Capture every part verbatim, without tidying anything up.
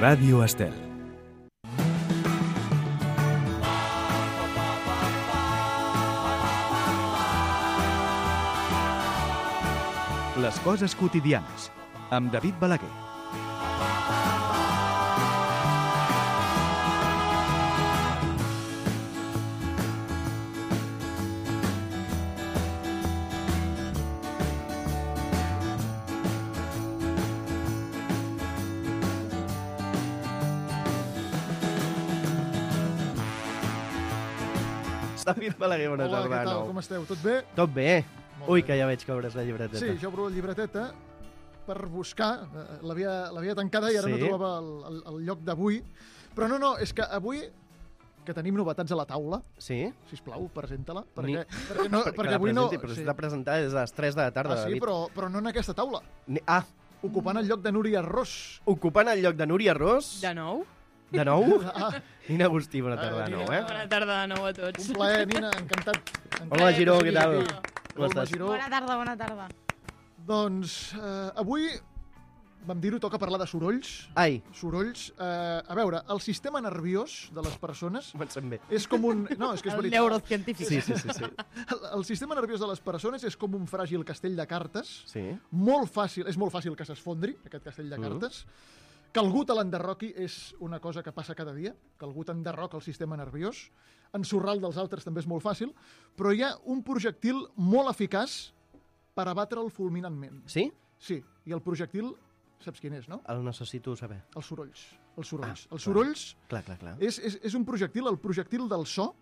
Ràdio Estel. Les coses quotidianes, amb David Balaguer. David Balaguer, bona Hola, tarda. què tal? No. Com esteu? Tot bé? Tot bé. Molt Ui, bé. que ja veig que obres la llibreteta. Sí, jo obro la llibreteta per buscar. eh, L'havia l'havia tancada i ara Sí? no trobava el, el, el lloc d'avui. Però no, no, és que avui que tenim novetats a la taula, Sí? sisplau, presenta-la, Ni- perquè, perquè, no, Per- que perquè la avui no... presenti, Però s'ha de presentar des de les tres de la tarda, ah, sí, David. però, però no en aquesta taula. Ni- Ah, Ocupant el lloc de Núria Ros. ocupant el lloc de Núria Ros. De nou? De nou? Ah, Nina Agustí, bona tarda Ah, de nou, Nina. eh? Bona tarda de nou a tots. un plaer, Nina, encantat. encantat Hola, que Giró, siguis què tal? aquí. Com Hola, estàs? Giró. Bona tarda, bona tarda. Doncs eh, avui, vam dir-ho, toca parlar de sorolls. Ai, Sorolls. Eh, a veure, el sistema nerviós de les persones comencem bé. és com un... No, és que és El veritat. neurocientífic. Sí, sí, sí, sí. El, el sistema nerviós de les persones és com un fràgil castell de cartes. Sí. Molt fàcil, és molt fàcil que s'esfondri, aquest castell de Mhm. cartes. Que algú te l'enderroqui és una cosa que passa cada dia, que algú t'enderroca el sistema nerviós. Ensorrar el dels altres també és molt fàcil, però hi ha un projectil molt eficaç per abatre'l fulminantment. Sí? Sí, i el projectil, saps quin és, no? El necessito saber. Els sorolls. Els sorolls. Ah, els sorolls Clar, clar, clar. és, és, és un projectil, el projectil del so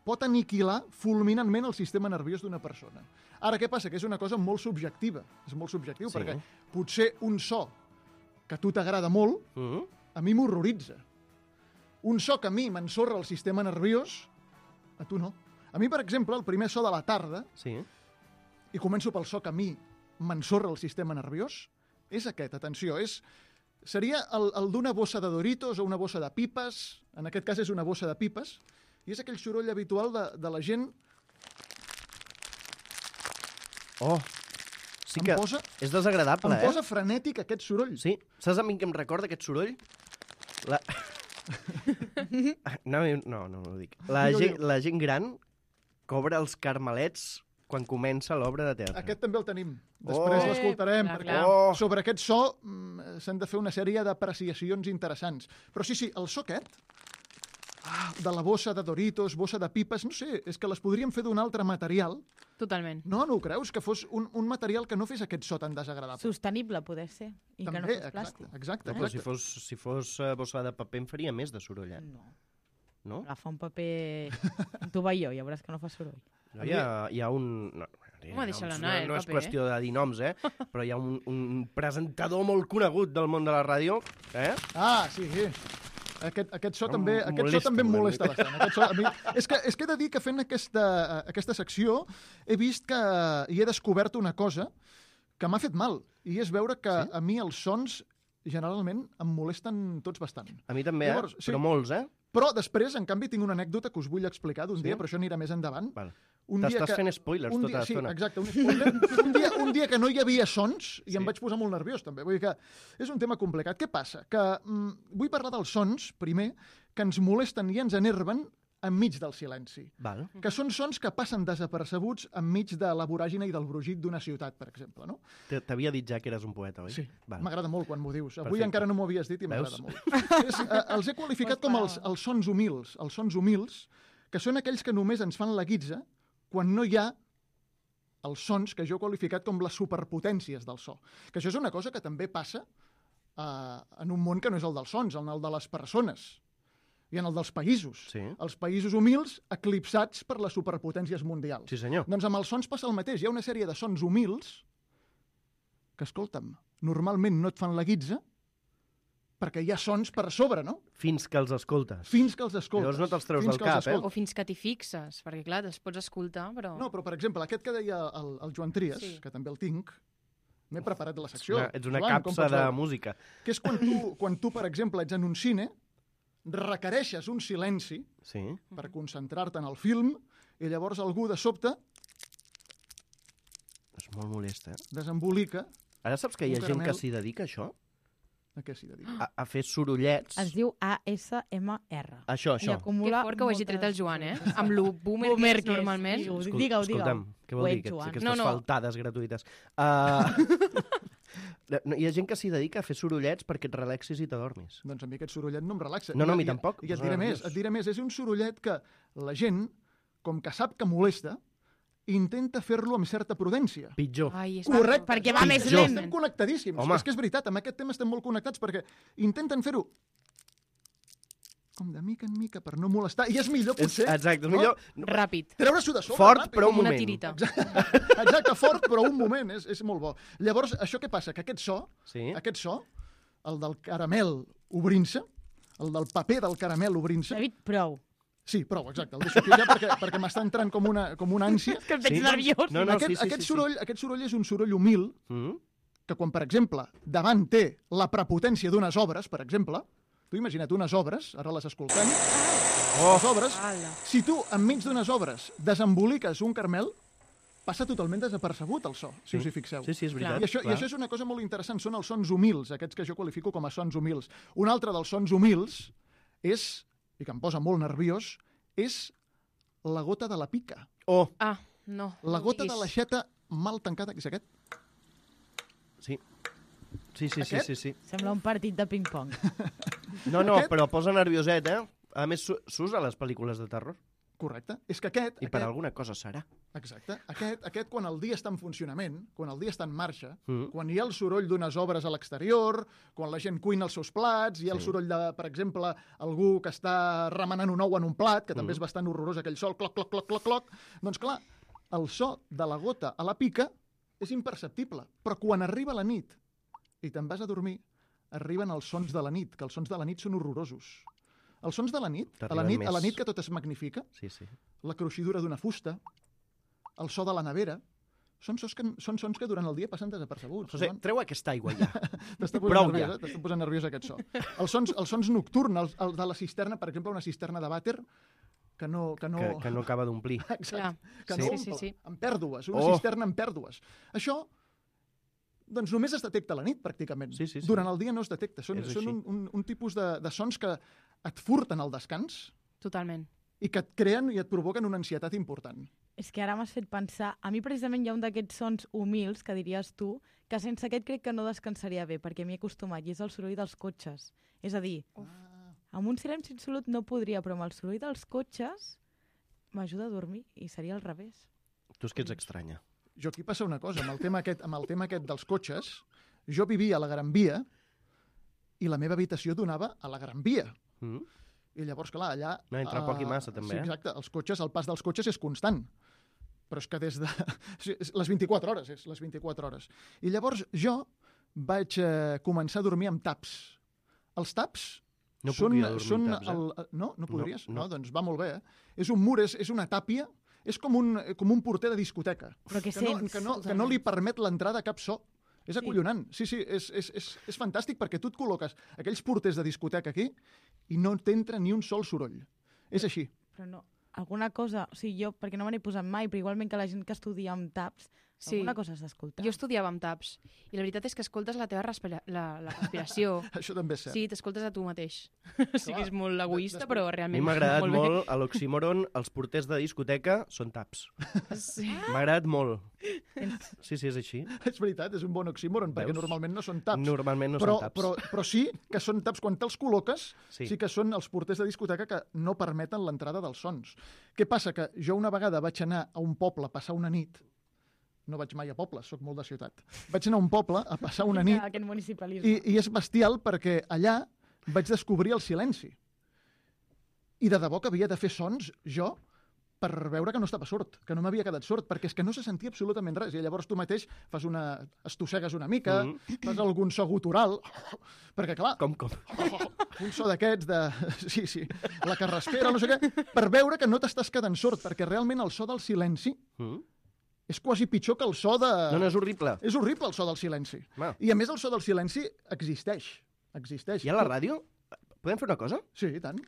pot aniquilar fulminantment el sistema nerviós d'una persona. Ara, què passa? Que és una cosa molt subjectiva. És molt subjectiu, Sí. perquè potser un so que a tu t'agrada molt, Mm? a mi m'horroritza. Un so que a mi m'ensorra el sistema nerviós, a tu no. A mi, per exemple, el primer so de la tarda, Sí. i començo pel so que a mi m'ensorra el sistema nerviós, és aquest, atenció, és... Seria el, el d'una bossa de Doritos o una bossa de pipes, en aquest cas és una bossa de pipes, i és aquell soroll habitual de, de la gent... Oh, sí em que posa, és desagradable, em eh? posa frenètic aquest soroll. Sí? Saps a mi què em recorda aquest soroll? La... no, no, no, no ho dic. La, Digue-ho, gent, digue-ho. la gent gran cobra els carmelets quan comença l'obra de teatre. Aquest també el tenim. Després Oh. l'escoltarem, Clar, perquè clar. Oh. sobre aquest so mm, s'han de fer una sèrie d'apreciacions interessants. Però sí, sí, el so aquest, ah, de la bossa de Doritos, bossa de pipes, no sé, és que les podríem fer d'un altre material. Totalment. No, no ho creus? Que fos un, un material que no fes aquest so tan desagradable. Sostenible, poder ser. I que no També, fos plàstic. exacte, exacte, No, però si exacte. fos, si fos uh, bossa de paper em faria més de soroll, eh? No. No? Agafa un paper... Un tovalló, ja veuràs que no fa soroll. No, hi, ha, hi ha un... No, hi ha Home, deixa-la uns- anar, no, eh, el no és paper, qüestió de dir noms, eh? Però hi ha un, un presentador molt conegut del món de la ràdio, eh? Ah, sí, sí. Aquest, aquest so Em també, aquest so molesta també em una molesta mica. bastant. Aquest so, a mi, és, que, és que he de dir que fent aquesta, aquesta secció he vist que hi he descobert una cosa que m'ha fet mal, i és veure que Sí? a mi els sons generalment em molesten tots bastant. A mi també, Llavors, eh? sí. Però molts, eh? Però després, en canvi, tinc una anècdota que us vull explicar d'un Sí? dia, però això anirà més endavant. Val. Un dia T'estàs que- fent spoilers un tota dia, sí, l'estona. exacte. Un, spoiler. un, dia, un dia que no hi havia sons i Sí. em vaig posar molt nerviós, també. Vull dir que és un tema complicat. Què passa? Que mm, vull parlar dels sons, primer, que ens molesten i ens enerven enmig del silenci. Val. Que són sons que passen desapercebuts enmig de la voràgina i del brogit d'una ciutat, per exemple, no? T- T'havia dit ja que eres un poeta, oi? Sí, Val. m'agrada molt quan m'ho dius. Avui Perfecte. encara no m'ho havies dit i Veus? m'agrada molt. És, eh, els he qualificat com els, els sons humils, els sons humils, que són aquells que només ens fan la guitza quan no hi ha els sons que jo he qualificat com les superpotències del so. Que això és una cosa que també passa eh, en un món que no és el dels sons, en el de les persones i en el dels països. Sí. Els països humils eclipsats per les superpotències mundials. Sí, senyor. Doncs amb els sons passa el mateix. Hi ha una sèrie de sons humils que, escolta'm, normalment no et fan la guitza perquè hi ha sons per sobre, no? Fins que els escoltes. Fins que els escoltes. Llavors no te'ls treus Fins del que els cap, eh? escoltes. O fins que t'hi fixes, perquè clar, els pots escoltar, però... No, però per exemple, aquest que deia el, el Joan Trias, Sí. que també el tinc, m'he preparat la secció. Una, ets una Joan, com capsa pots de veure? música. Que és quan tu, quan tu, per exemple, ets en un cine, requereixes un silenci Sí. per concentrar-te en el film i llavors algú de sobte És molt molest, eh? desembolica. Ara saps que hi ha Un gent que caramel. s'hi dedica a això? A què s'hi dedica? A, a fer sorollets. Es diu A S M R. Això, I això. Que acumula fort que ho hagi moltes tret el Joan, eh? coses. Amb lo boomer, Boomer que és que és, normalment. digue-ho, Escol- digue-ho, Escolta'm, digue-ho. què vol Ho dir ets, aquest, Joan. aquestes No, no. faltades gratuïtes? Uh... no, hi ha gent que s'hi dedica a fer sorollets perquè et relaxis i t'adormis. Doncs a mi aquest sorollet no em relaxa. No, no, a I- mi i- tampoc, I et posa diré nerviós. més, et diré més. És un sorollet que la gent, com que sap que molesta, intenta fer-lo amb certa prudència. Pitjor. Ai, és Correcte. Perquè va més Pitjor. lent. Estem connectadíssims. Home. És que és veritat, amb aquest tema estem molt connectats perquè intenten fer-ho com de mica en mica per no molestar. I és millor, És, potser, exacte, és no? millor... Ràpid. treure-s'ho de sobre. Fort, ràpid. però un Com una moment. tirita. Exacte, fort, però un moment. És, és molt bo. Llavors, això què passa? Que aquest so, Sí. aquest so, el del caramel obrint-se, el del paper del caramel obrint-se... David, prou. Sí, prou, exacte. El deixo aquí ja perquè, perquè m'està entrant com una, com una ànsia. Que em veig Sí? nerviós. No, no, aquest, sí, sí, aquest, sí, sí. soroll, aquest soroll és un soroll humil Mm? que quan, per exemple, davant té la prepotència d'unes obres, per exemple, tu imagina't unes obres, ara les escoltem, Oh, les obres, Ala. si tu enmig d'unes obres desemboliques un carmel, passa totalment desapercebut el so, si Sí. us hi fixeu. sí, sí, és veritat. I això, I clar. això és una cosa molt interessant, són els sons humils, aquests que jo qualifico com a sons humils. Un altre dels sons humils és, i que em posa molt nerviós, és la gota de la pica. Oh, Ah, no. La no gota diguis. de l'aixeta mal tancada, que és aquest. sí. Sí, sí, sí, Aquest? sí, sí. Sembla un partit de ping-pong. No, no, Aquest? però posa nervioset, eh? A més, s'u- s'usa a les pel·lícules de terror. Correcte. És que aquest... I per aquest alguna cosa serà. Exacte. Aquest, aquest, quan el dia està en funcionament, quan el dia està en marxa, Mm. quan hi ha el soroll d'unes obres a l'exterior, quan la gent cuina els seus plats, hi ha el Sí. soroll de, per exemple, algú que està remenant un ou en un plat, que també Mm. és bastant horrorós aquell sol, cloc, cloc, cloc, cloc, cloc, doncs clar, el so de la gota a la pica és imperceptible, però quan arriba la nit i te'n vas a dormir, arriben els sons de la nit, que els sons de la nit són horrorosos. Els sons de la nit, a la T'arriben nit, a la més. nit que tot es magnifica, Sí, sí. la cruixidura d'una fusta, el so de la nevera, són sons que, són sons que durant el dia passen desapercebuts. José, Joan. treu aquesta aigua ja. T'està posant prou nerviós, ja. eh? T'està posant nerviós aquest so. Els sons, els sons nocturns, els, els de la cisterna, per exemple, una cisterna de vàter, que no... Que no... Que, que no acaba d'omplir. Exacte, que Sí. no Sí, sí, omple, sí. amb pèrdues, una Oh. cisterna amb pèrdues. Això, doncs només es detecta a la nit, pràcticament. Sí, sí, sí. Durant el dia no es detecta. Són, És són així. un, un, un tipus de, de sons que et furten el descans Totalment. i que et creen i et provoquen una ansietat important. És que ara m'has fet pensar... A mi precisament hi ha un d'aquests sons humils, que diries tu, que sense aquest crec que no descansaria bé, perquè m'hi he acostumat, i és el soroll dels cotxes. És a dir, amb un silenci absolut no podria, però amb el soroll dels cotxes m'ajuda a dormir, i seria al revés. Tu és que ets estranya. Jo aquí passa una cosa, amb el tema aquest, amb el tema aquest dels cotxes, jo vivia a la Gran Via i la meva habitació donava a la Gran Via. Mm? I llavors, clar, allà... No, entre poc i eh, massa, també, Sí, eh? exacte, els cotxes, el pas dels cotxes és constant. Però és que des de... sí, és les vint-i-quatre hores, és les vint-i-quatre hores. I llavors jo vaig eh, començar a dormir amb taps. Els taps No puc són... jo dormir són amb taps, eh? el... No? No podries? No, No, no. doncs va molt bé, eh? És un mur, és, és una tàpia, és com un, com un porter de discoteca. Però què que no, sents? que no, que no li permet l'entrada a cap so. És Sí. acollonant. Sí, sí, és, és, és, és fantàstic perquè tu et col·loques aquells porters de discoteca aquí i no t'entra ni un sol soroll. És així. Però no, alguna cosa... O sigui, jo, perquè no me n'he posat mai, però igualment que la gent que estudia amb taps, Sí. alguna cosa s'escolta. Jo estudiava amb taps i la veritat és que escoltes la teva respira la, la respiració. Això també és cert. Sí, t'escoltes a tu mateix. O sigui, és molt egoista, després- però A mi realment m'ha agradat molt bé. molt, a l'oxímoron, els porters de discoteca són taps. Sí. M'ha agradat molt. Sí, sí, és així. És veritat, és un bon oxímoron, perquè Veus? normalment no són taps. Normalment no però, són taps. però, però sí que són taps. Quan te'ls col·loques, Sí. sí. sí que són els porters de discoteca que no permeten l'entrada dels sons. Què passa? Que jo una vegada vaig anar a un poble a passar una nit, no vaig mai a pobles, sóc molt de ciutat, vaig anar a un poble a passar una nit Aquest municipalisme. i, i és bestial perquè allà vaig descobrir el silenci. I de debò que havia de fer sons, jo, per veure que no estava sord, que no m'havia quedat sord, perquè és que no se sentia absolutament res. I llavors tu mateix fas una... estossegues una mica, Mhm. fas algun so gutural, perquè clar, Com, com? un so d'aquests de... Sí, sí, la carraspera, no sé què, per veure que no t'estàs quedant sord, perquè realment el so del silenci Mm? és quasi pitjor que el so de... No, no, és horrible. És horrible el so del silenci. Va. I a més el so del silenci existeix. Existeix. I a la ràdio? Podem fer una cosa? Sí, i tant.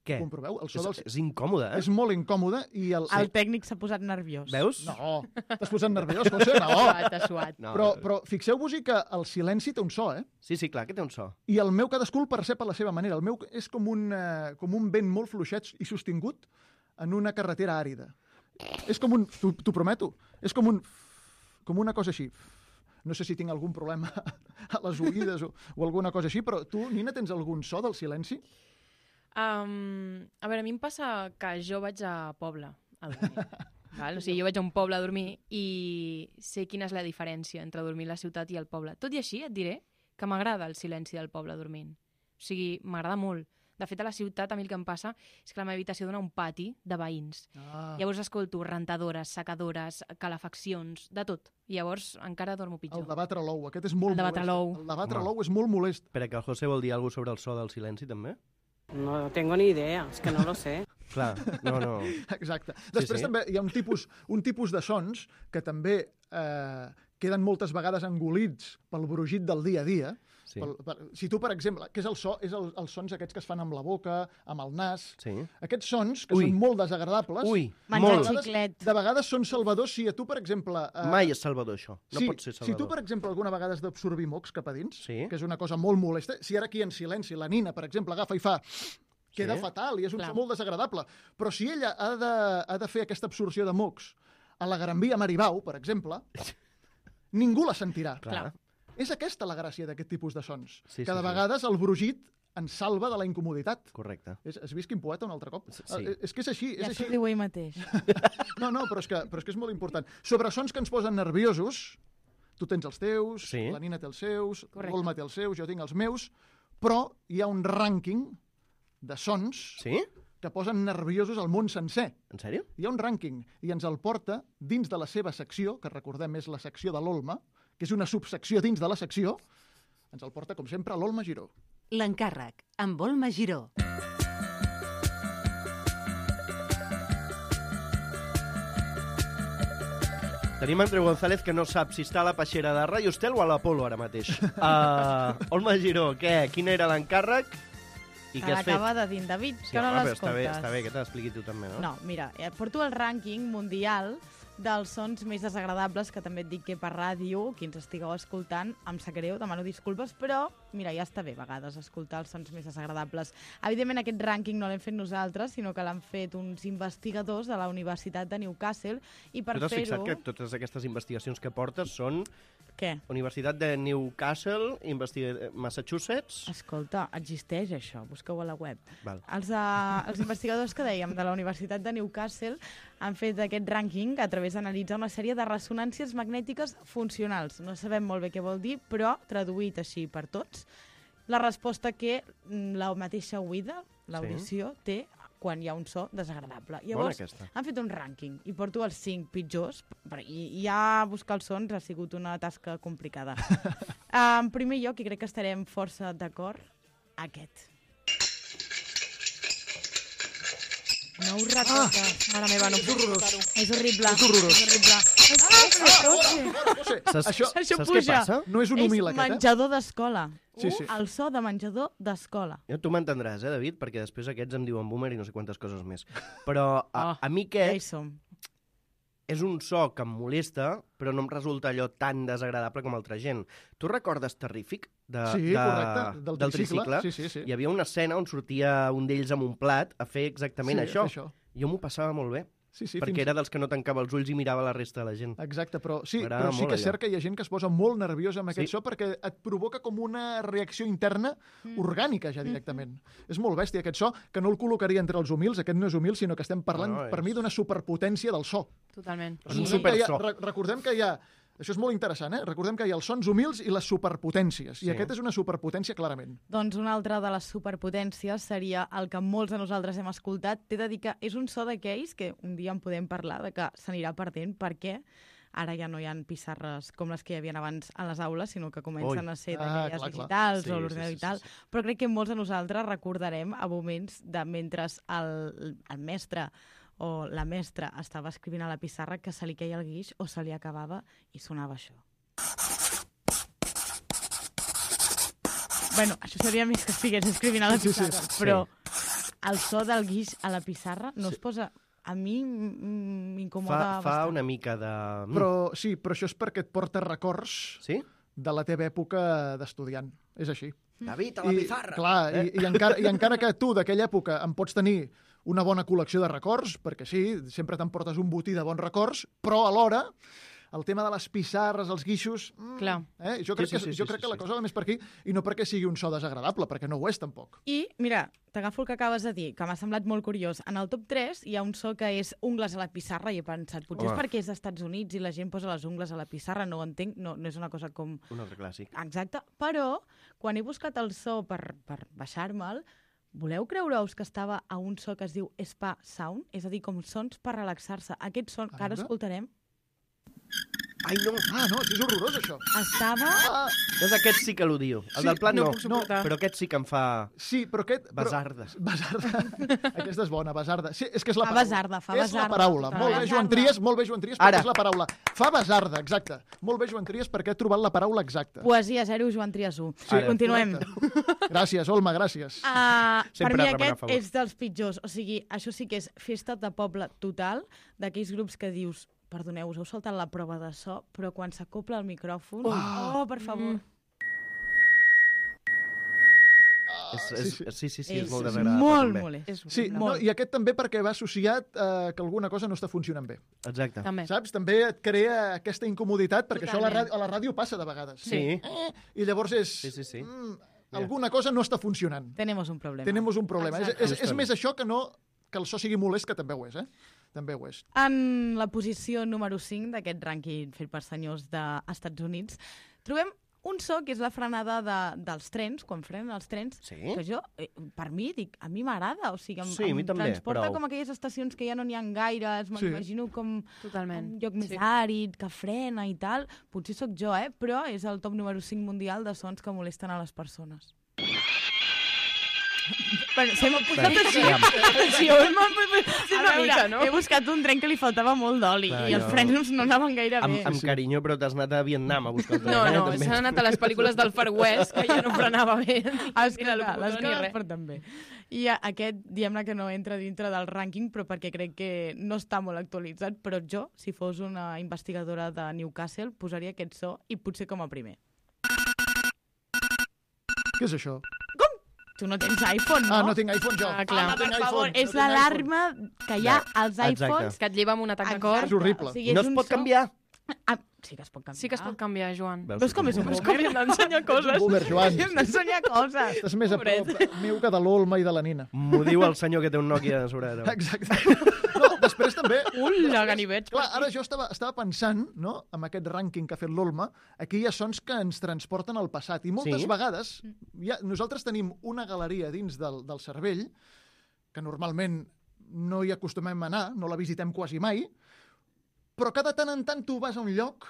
Què? Comproveu? El so És, del... és incòmode, eh? És molt incòmode i el... El tècnic s'ha posat nerviós. Veus? No, t'has posat nerviós, José? No. Suat, suat. No, Però, però fixeu-vos-hi que el silenci té un so, eh? Sí, sí, clar, que té un so. I el meu cadascú el percep a la seva manera. El meu és com un, eh, com un vent molt fluixet i sostingut en una carretera àrida. És com un... T'ho prometo. És com un... Com una cosa així. No sé si tinc algun problema a les oïdes o, o alguna cosa així, però tu, Nina, tens algun so del silenci? Um, a veure, a mi em passa que jo vaig a poble a dormir. Val? O sigui, jo vaig a un poble a dormir i sé quina és la diferència entre dormir a la ciutat i al poble. Tot i així, et diré que m'agrada el silenci del poble dormint. O sigui, m'agrada molt. De fet, a la ciutat a mi el que em passa és que la meva habitació dona un pati de veïns. Ah. Llavors escolto rentadores, secadores, calefaccions, de tot. I llavors encara dormo pitjor. El de batre l'ou, aquest és molt El de batre molest. l'ou. El de batre Home. l'ou és molt molest. Espera, que el José vol dir alguna cosa sobre el so del silenci, també? No tengo ni idea, es que no lo sé. Clar, no, no... Exacte. Després sí. també hi ha un tipus, un tipus de sons que també eh, queden moltes vegades engolits pel brugit del dia a dia. Sí. Pel, per, si tu, per exemple, què és el so? És el, els sons aquests que es fan amb la boca, amb el nas. Sí. Aquests sons, que Ui. són molt desagradables, Ui, Menjar molt. xiclet. de vegades són salvadors si a tu, per exemple... Eh, Mai és salvador, això. No sí, pot ser si tu, salvador. per exemple, alguna vegada has d'absorbir mocs cap a dins, Sí. que és una cosa molt molesta, si ara aquí en silenci la Nina, per exemple, agafa i fa... Queda Sí. fatal i és un Clar. so molt desagradable. Però si ella ha de, ha de fer aquesta absorció de mocs a la Gran Via Maribau, per exemple, ningú la sentirà. Clar. És aquesta la gràcia d'aquest tipus de sons. Sí, que sí, de sí. vegades el brugit ens salva de la incomoditat. Correcte. És, has vist quin poeta un altre cop? Sí. Eh, És que és així, és Ja així. s'ho diu ell mateix. No, no, però és, que, però és que és molt important. Sobre sons que ens posen nerviosos, tu tens els teus, Sí. la Nina té els seus, Correcte. l'Olma té els seus, jo tinc els meus, però hi ha un rànquing de sons Sí? que posen nerviosos al món sencer. En sèrio? Hi ha un rànquing i ens el porta dins de la seva secció, que recordem és la secció de l'Olma, que és una subsecció dins de la secció, ens el porta, com sempre, l'Olma Giró. L'encàrrec, amb Olma Giró. Tenim Andreu González, que no sap si està a la peixera de Ràdio Estel o a l'Apolo ara mateix. Uh, Olma Giró, què? Quin era l'encàrrec? I Que què has fet? l'acaba de dir en David, Sí, que no home, però està bé, l'escoltes. està bé que te l'expliqui tu també, no? No, mira, eh, porto el rànquing mundial dels sons més desagradables, que també et dic que per ràdio, qui ens estigueu escoltant, em sap greu, demano disculpes, però mira, ja està bé a vegades escoltar els sons més desagradables. Evidentment aquest rànquing no l'hem fet nosaltres, sinó que l'han fet uns investigadors de la Universitat de Newcastle, i per Tu t'has fer-ho... fixat que totes aquestes investigacions que portes són Què? Universitat de Newcastle, Investiga... Massachusetts... Escolta, existeix això, busqueu a la web. Val. Els, uh, els investigadors que dèiem de la Universitat de Newcastle han fet aquest rànquing a través d'analitzar una sèrie de ressonàncies magnètiques funcionals. No sabem molt bé què vol dir, però traduït així per tots, la resposta que mm, la mateixa oïda, l'audició, té quan hi ha un so desagradable. Llavors, Bona aquesta. han fet un rànquing i porto els cinc pitjors, però i, i ja buscar els sons ha sigut una tasca complicada. uh, en primer lloc, i crec que estarem força d'acord, aquest. No us recordes. Mare meva, no És horrorós. És horrible. És horrorós. És horrible. Ah, José, Saps, això Això saps puja. què passa? no és un humil, és aquest, eh? menjador d'escola. Sí, sí. El so de menjador d'escola. Jo, tu m'entendràs, eh, David? Perquè després aquests em diuen boomer i no sé quantes coses més. Però a, Oh, a mi Ja hi aquest som. és un so que em molesta, però no em resulta allò tan desagradable com altra gent. Tu recordes Terrífic? De, Sí, de, correcte, del del tricicle. Sí, sí, sí. Hi havia una escena on sortia un d'ells amb un plat a fer exactament Sí, això. a fer això. Jo m'ho passava molt bé, Sí, sí, perquè fins... era dels que no tancava els ulls i mirava la resta de la gent. Exacte, però sí, M'agrada però sí molt que és allò. cert que hi ha gent que es posa molt nerviosa amb aquest Sí. so perquè et provoca com una reacció interna Mm. orgànica ja directament. És molt bèstia aquest so, que no el col·locaria entre els humils, aquest no és humil, sinó que estem parlant, No, no, per és- mi, d'una superpotència del so. Totalment. És un Recordem que hi ha- superso. re- Recordem que hi ha... Això és molt interessant, eh? Recordem que hi ha els sons humils i les superpotències, Sí. i aquest és una superpotència clarament. Doncs una altra de les superpotències seria el que molts de nosaltres hem escoltat. T'he de dir que és un so d'aquells que un dia en podem parlar de que s'anirà perdent perquè ara ja no hi ha pissarres com les que hi havia abans a les aules, sinó que comencen Ui. a ser Ah, d'aquelles clar, clar. digitals Sí, o sí, l'ordinador sí, i tal. sí, sí. Però crec que molts de nosaltres recordarem a moments de mentre el, el mestre o la mestra estava escrivint a la pissarra que se li queia el guix o se li acabava i sonava això. Bueno, això seria més que estigués escrivint a la Sí, sí, pissarra, sí. però el so del guix a la pissarra no Sí. es posa... A mi mm, m'incomoda Fa, fa bastant. una mica de... Mm. Però sí, però això és perquè et porta records Sí? de la teva època d'estudiant. És així. David, a la pizarra! Clar, Eh? i, i, encara, i encara que tu d'aquella època en pots tenir una bona col·lecció de records, perquè sí, sempre t'emportes un botí de bons records, però alhora el tema de les pissarres, els guixos... Mm, Clar. Eh? Jo crec, Sí, sí, que, sí, jo sí, crec sí, que la sí. cosa va més per aquí, i no perquè sigui un so desagradable, perquè no ho és tampoc. I, mira, t'agafo el que acabes de dir, que m'ha semblat molt curiós. En el top tres hi ha un so que és ungles a la pissarra i he pensat, potser Home. és perquè és dels Estats Units i la gent posa les ungles a la pissarra, no ho entenc, no, no és una cosa com... Un altre clàssic. Exacte, però quan he buscat el so per, per baixar-me'l, voleu creure-us que estava a un so que es diu Spa Sound? És a dir, com sons per relaxar-se. Aquest son que ara veure. escoltarem Ai, no! Ah, no, és horrorós, això. estava... Ah, És aquest sí que l'odio. El Sí, del plat no, no puc suportar. però aquest sí que em fa... sí, però aquest... Però... Basarda. Basarda. Aquesta és bona, basarda. Sí, és que és la Fa paraula. basarda, fa És la basarda, paraula. totalment. Molt bé, Joan Basarda. Tries, molt bé, Joan Tries, perquè Ara. és la paraula. Fa basarda, exacte. Molt bé, Joan Tries, perquè he trobat la paraula exacta. Poesia zero, Joan Trias u. Sí, Continuem. correcte. Gràcies, Olma, gràcies. Uh, per Sempre mi remen a aquest favor. és dels pitjors. O sigui, això sí que és festa de poble total, d'aquells grups que dius, perdoneu, us heu saltat la prova de so, però quan s'acopla el micròfon... Oh, oh per favor. Mm. És, sí, és, sí. sí, sí, sí, és és molt desagradable. molt també. molest. És Sí, horrible. no, i aquest també perquè va associat eh, que alguna cosa no està funcionant bé. Exacte. També. Saps? També et crea aquesta incomoditat, perquè això a la, Totalment. ràdio, a la ràdio passa de vegades. Sí. Eh? I llavors és... Sí, sí, sí. Mm, alguna cosa no està funcionant. Tenemos un problema. Tenemos un problema. És, Exacte. és, és més això que no que el so sigui molest, que també ho és, eh? També ho és. En la posició número cinc d'aquest rànquing fet per senyors dels Estats Units, trobem un so que és la frenada de, dels trens, quan frenen els trens, Sí? que jo, eh, per mi, dic, a mi m'agrada, o sigui, em, Sí, a mi em també, transporta però- com aquelles estacions que ja no n'hi ha gaires, Sí. m'imagino com Totalment. un lloc més Sí. àrid, que frena i tal. Potser sóc jo, eh? Però és el top número cinc mundial de sons que molesten a les persones. Bueno, se m'ha posat Bé, així. aviam. Sí, ho hem sí, Una mica, no? He buscat un tren que li faltava molt d'oli Clar, i els jo- frenos no anaven gaire Amb, bé. amb carinyo, però t'has anat a Vietnam a buscar el tren. No, eh, no, també. s'han anat a les pel·lícules del Far West, que ja no frenava bé. Ah, és que Ni clar, l'alocutor les ni coses res. per també. I a- aquest, diguem-ne que no entra dintre del rànquing, però perquè crec que no està molt actualitzat, però jo, si fos una investigadora de Newcastle, posaria aquest so i potser com a primer. Què és això? Tu no tens iPhone, no? Ah, no tinc iPhone jo. Ah, clar. no tinc Per iPhone. favor, no és tinc l'alarma que hi ha als Exacte. iPhones. Que et lleva amb un atac de cor. Exacte. És horrible. O sigui, No és es un pot so- canviar. Ah, sí que es pot canviar. Sí que es pot canviar, Joan. Veus Veus com és un Veus boomer? com hem d'ensenyar coses? Boomer, Joan. Hem d'ensenyar coses. Estàs més a prop meu que de l'Olma i de la Nina. M'ho diu el senyor que té un Nokia a sobre. No? Exacte. No, després també... Ula, ganivets. Clar, ara jo estava, estava pensant, no?, amb aquest rànquing que ha fet l'Olma, aquí hi ha sons que ens transporten al passat. I moltes Sí? vegades, ja, nosaltres tenim una galeria dins del, del cervell, que normalment no hi acostumem a anar, no la visitem quasi mai, però cada tant en tant tu vas a un lloc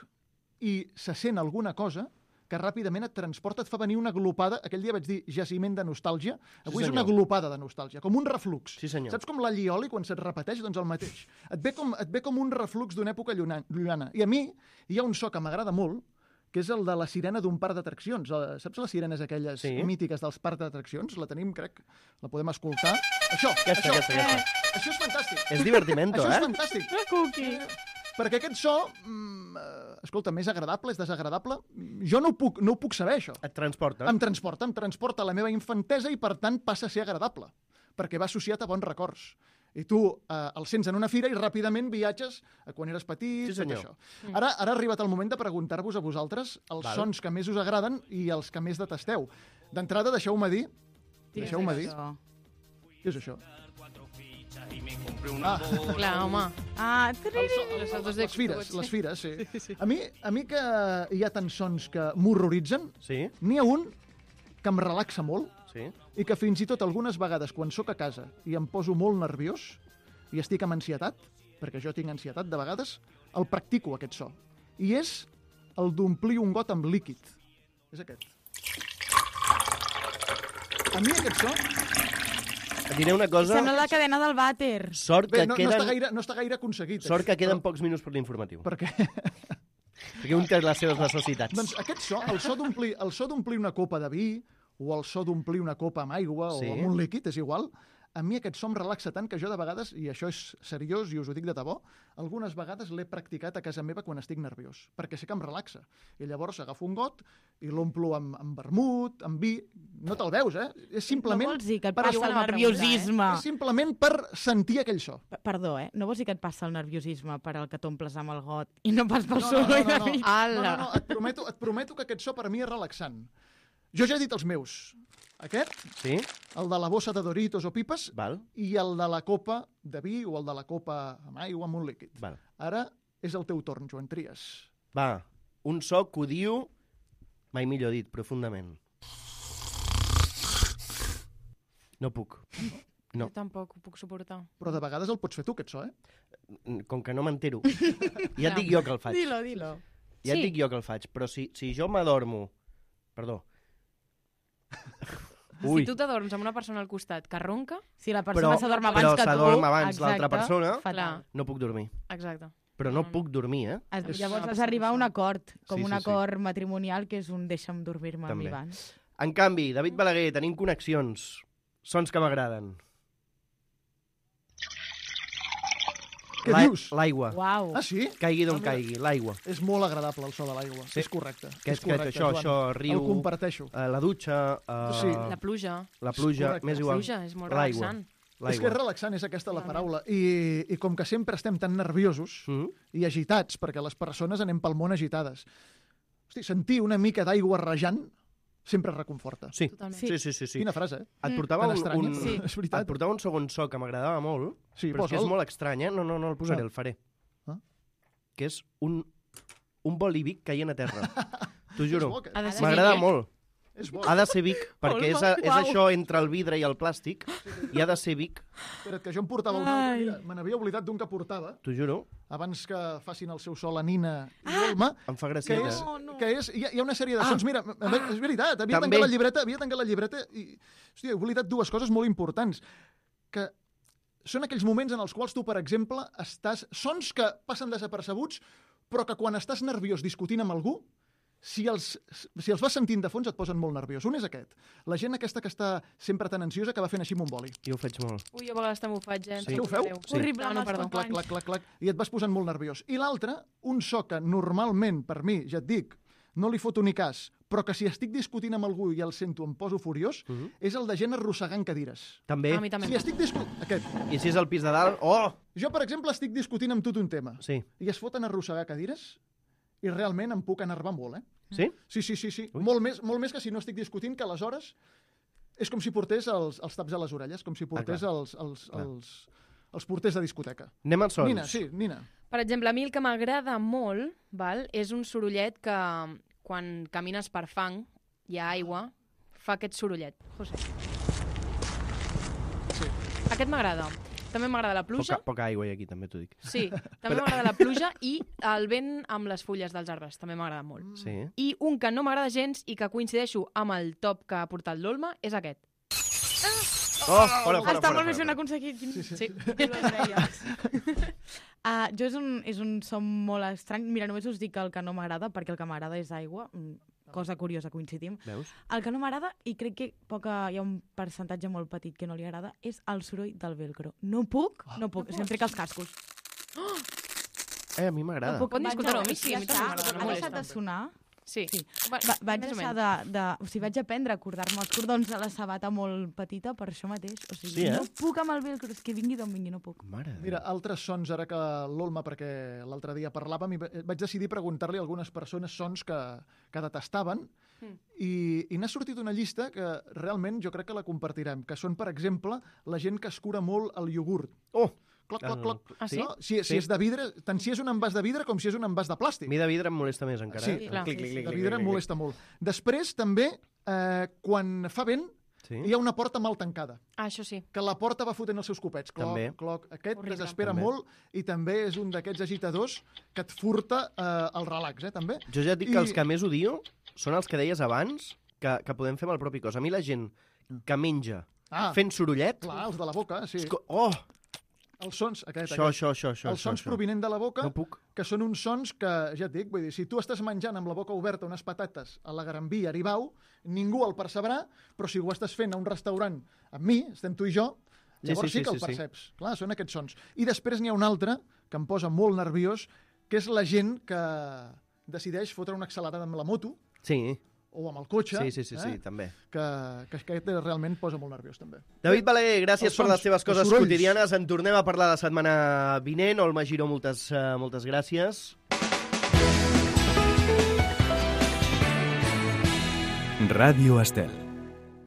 i se sent alguna cosa que ràpidament et transporta, et fa venir una glopada. Aquell dia vaig dir jaciment de nostàlgia. Avui Sí, és una senyor. glopada de nostàlgia, com un reflux. Sí, senyor. Saps com l'allioli, quan se't repeteix? Doncs el mateix. Et ve com, et ve com un reflux d'una època lluna- llunyana. I a mi hi ha un so que m'agrada molt, que és el de la sirena d'un parc d'atraccions. Eh, Saps les sirenes aquelles Sí. mítiques dels parcs d'atraccions? La tenim, crec, la podem escoltar. Això, Aquesta, això, aquesta, aquesta. això és fantàstic. És divertimento, Això és eh? fantàstic. Cookie. Perquè aquest so, mm, eh, escolta, més agradable, és desagradable? Jo no ho puc, no ho puc saber, això. Et transporta. Em transporta, em transporta a la meva infantesa i, per tant, passa a ser agradable, perquè va associat a bons records. I tu eh, el sents en una fira i ràpidament viatges a quan eres petit, Sí, tot senyor. això. Ara, ara ha arribat el moment de preguntar-vos a vosaltres els Val. sons que més us agraden i els que més detesteu. D'entrada, deixeu-me dir... Deixeu-me dir... Això. Què és això? Ah, Clar, home. Ah, el triri. so, Les autos les fires, d'Xbox. les fires, sí. A mi, a mi que hi ha tants sons que m'horroritzen, Sí, n'hi ha un que em relaxa molt, sí. i que fins i tot algunes vegades quan sóc a casa i em poso molt nerviós i estic amb ansietat, perquè jo tinc ansietat de vegades, el practico, aquest so. I és el d'omplir un got amb líquid. És aquest. A mi aquest so... Et diré una cosa. Sembla la cadena del vàter. Sort que Bé, no, no, queden... està gaire, no està gaire aconseguit. Sort que això, queden però- pocs minuts per l'informatiu. Perquè, Perquè un té les seves necessitats. doncs aquest so, el so d'omplir el so d'omplir una copa de vi o el so d'omplir una copa amb aigua Sí. o amb un líquid, és igual, a mi aquest so em relaxa tant que jo de vegades, i això és seriós i us ho dic de debò, algunes vegades l'he practicat a casa meva quan estic nerviós, perquè sé que em relaxa. I llavors agafo un got i l'omplo amb, amb vermut, amb vi... No te'l veus, eh? És simplement... No vols dir que et per passa el estar- nerviosisme. És simplement per sentir aquell so. P- Perdó, eh? No vols dir que et passa el nerviosisme per al que t'omples amb el got i no pas pel No, no, soroll no, no, de no. mig? No, Ala! no, no, et prometo, et prometo que aquest so per mi és relaxant. Jo ja he dit els meus. Aquest, Sí? el de la bossa de Doritos o pipes, Val, i el de la copa de vi o el de la copa amb aigua amb un líquid. val. Ara és el teu torn, Joan Trias. Va, un so que odio, mai millor dit, profundament. No puc. No. Jo tampoc ho puc suportar. Però de vegades el pots fer tu, aquest so, eh? Com que no m'entero. Ja et dic jo que el faig. Dilo, dilo. Ja et Sí. dic jo que el faig. Però si, si jo m'adormo... Perdó. Ui, Si tu t'adorms amb una persona al costat que ronca, Si la persona Però- s'adorm però abans que tu... s'adorm abans l'altra exacte, persona. fatal. Clar. no puc dormir. exacte. Però no puc dormir, eh? Has- És- Llavors Ah, has d'arribar a un acord, com Sí, un sí, sí. acord matrimonial que és un deixa'm dormir-me a mi També. abans. En canvi, David Balaguer, tenim connexions. Sons que m'agraden. Què La- dius? L'aigua. Uau. Ah, sí? Caigui d'on Ah, mira. caigui, l'aigua. És molt agradable el so de l'aigua. Sí. És correcte. Aquest, és correcte, aquest, això, Joan. això, riu, El comparteixo. eh, la dutxa, eh, Sí. La pluja. la pluja, correcte. més La igual. pluja és molt L'aigua. relaxant. És que és relaxant, és aquesta la Totalment. paraula. I, I com que sempre estem tan nerviosos Mhm. i agitats, perquè les persones anem pel món agitades, hosti, sentir una mica d'aigua rajant sempre reconforta. Sí. Totalment. Sí, sí, sí, sí. Quina frase, eh? Et portava Tan un, estranya, un, però és veritat. et portava un segon so que m'agradava molt, Sí, però és que és posa'l. molt estrany, eh? No, no, no el posaré, Ah. el faré. Ah. que és un, un bolívic caient a terra. T'ho juro. bo, aquest. Ha de ser M'agrada Vic, eh? molt. És bo. Ha de ser Vic, perquè és, a, és Uau. això entre el vidre i el plàstic, i ha de ser Vic, Espera't, que jo em portava un altre. Mira, me n'havia oblidat d'un que portava, t'ho juro, abans que facin el seu so la Nina i l'Olma, em fa que gràcia. és, No, no. que és hi, ha, hi ha una sèrie de sons. Mira, ah, és veritat, havia També. tancat la llibreta, havia tancat la llibreta i, hòstia, he oblidat dues coses molt importants. Que són aquells moments en els quals tu, per exemple, estàs... Sons que passen desapercebuts, però que quan estàs nerviós discutint amb algú, si els, si els vas sentint de fons et posen molt nerviós. Un és aquest. La gent aquesta que està sempre tan ansiosa que va fent així amb un boli. Jo ho faig molt. Ui, jo a vegades també ho faig, eh? Sí. Ho feu? Sí. Horrible, No, no, amb els perdó. Clac, companys. clac, clac, clac, i et vas posant molt nerviós. I l'altre, un so que normalment, per mi, ja et dic, no li foto ni cas, però que si estic discutint amb algú i el sento em poso furiós, Mhm. és el de gent arrossegant cadires. També. A mi també. Si estic discutint... Aquest. I si és al pis de dalt, oh! Jo, per exemple, estic discutint amb tu un tema Sí. i es foten a arrossegar cadires i realment em puc enervar molt, eh? Sí? Sí, sí, sí, sí. Ui. Molt més, molt més que si no estic discutint, que aleshores és com si portés els, els taps a les orelles, com si portés clar. els, els, Clar. els, els porters de discoteca. Anem als sons. Nina, sí, Nina. Per exemple, a mi el que m'agrada molt val, és un sorollet que quan camines per fang, hi ha aigua, fa aquest sorollet. José. Sí. Aquest m'agrada. També m'agrada la pluja. Poca, poca aigua hi ha aquí, també t'ho dic. Sí, també m'agrada la pluja i el vent amb les fulles dels arbres. També m'agrada molt. Sí. I un que no m'agrada gens i que coincideixo amb el top que ha portat l'Olma és aquest. Oh, fora, fora, Està fora, molt més fora. ben aconseguit. Quin... Sí, sí. Sí. Qui ho deia? uh, jo és un, és un son molt estrany. Mira, només us dic el que no m'agrada, perquè el que m'agrada és aigua. Mm, cosa curiosa, coincidim. Veus? El que no m'agrada, i crec que poca, hi ha un percentatge molt petit que no li agrada, és el soroll del velcro. No puc, no puc. No Sempre que els cascos. Eh, a mi m'agrada. No puc. Poden Vaig discutir-ho, a- a mi sí, a mi ja també està. m'agrada, no Ha molesta. deixat de sonar. Sí. Sí. Va, Va, vaig més o deixar menys. de, de... O sigui, vaig aprendre a acordar-me els cordons de la sabata molt petita per això mateix. O sigui, Sí, eh? no puc amb el velcro, és que vingui d'on vingui, no puc. Mare de Mira, altres sons, ara que l'Olma, perquè l'altre dia parlàvem, i va- vaig decidir preguntar-li a algunes persones sons que, que detestaven, Mm. i, i n'ha sortit una llista que realment jo crec que la compartirem, que són, per exemple, la gent que es cura molt el iogurt. Oh! Cloc, cloc, El- cloc. Ah, sí? No? Si, si Sí. és de vidre, tant si és un envàs de vidre com si és un envàs de plàstic. A mi de vidre em molesta més encara. Sí, eh? clar. Clic, Sí, clic, sí. clic, De clic, vidre clic, em clic. molesta molt. Després, també, eh, quan fa vent, Sí? hi ha una porta mal tancada, Ah, això sí. que la porta va fotent els seus copets. Cloc, També. cloc. Aquest Horrible. desespera També. molt i també és un d'aquests agitadors que et furta eh, el relax, eh, també. Jo ja et dic I- que els que més odio són els que deies abans, que, que podem fer amb el propi cos. A mi la gent que menja Ah, fent sorollet... clar, els de la boca, sí. és co- Oh! Els sons, aquest, Això, aquest. això, això, això. Els sons això. provinent de la boca, No puc. que són uns sons que, ja et dic, vull dir, si tu estàs menjant amb la boca oberta unes patates a la Gran Via, Aribau, ningú el percebrà, però si ho estàs fent a un restaurant amb mi, estem tu i jo, Llavors sí, sí, sí que el perceps. Sí, sí. Clar, són aquests sons. I després n'hi ha un altre que em posa molt nerviós, que és la gent que decideix fotre una accelerada amb la moto. Sí. O amb el cotxe. Sí, sí, sí, eh? sí també. Que, que aquest realment posa molt nerviós, també. David Balaguer, gràcies els per sons, les teves coses quotidianes. En tornem a parlar la setmana vinent. Olma Giró, moltes, uh, moltes gràcies. Ràdio Estel.